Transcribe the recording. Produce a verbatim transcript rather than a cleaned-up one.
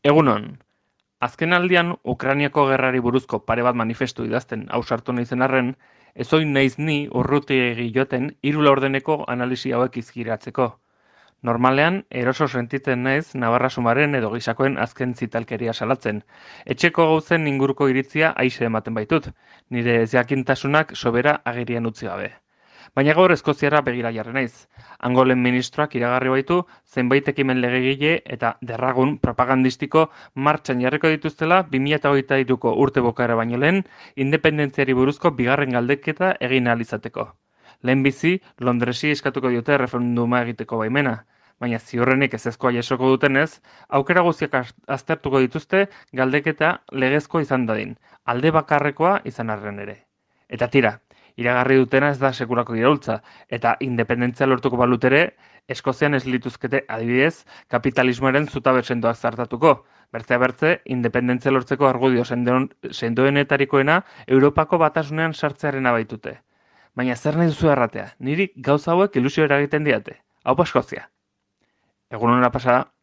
Egunon, azken aldian Ukrainiako gerrari buruzko pare bat manifestu idazten ausartu naizen arren, ez oin naiz ni urrutiegi joten hiru laurdeneko analisi hauek izkiratzeko. Normalean, eroso sentitzen naiz Navarra Sumaren edo gisakoen azken zitalkeria salatzen. Etxeko gauzen inguruko iritzia aixe ematen baitut, nire ezjakintasunak sobera agerian utzi gabe. Baina gaur Eskoziara begira jarri naiz. Angolen ministroak iragarri baitu zenbait ekimen legegile eta derragun propagandistiko martxan jarriko dituztela bi mila hogeita hiruko urte bukaera baino lehen independentziari buruzko bigarren galdeketa egin ahal izateko. Lehenbizi, Londresi eskatuko diote erreferenduma egiteko baimena, baina ziurrenik ezezkoa jasoko dutenez, aukera guztiak az- aztertuko dituzte galdeketa legezko izan dadin, alde bakarrekoa izan arren ere. Eta tira, iragarri dutena ez da sekulako iraultza, eta independentzia lortuko balut ere, Eskozian ez lituzkete adibidez kapitalismoaren zutabe sendoak zartatuko. Bertzea bertze, independentzia lortzeko argudio sendoen- sendoenetarikoena Europako batasunean sartzearena baitute. Baina zer nahi duzu erratea, niri gauza hauek ilusio eragiten diate. Hau Eskozia. Egun hona pasa.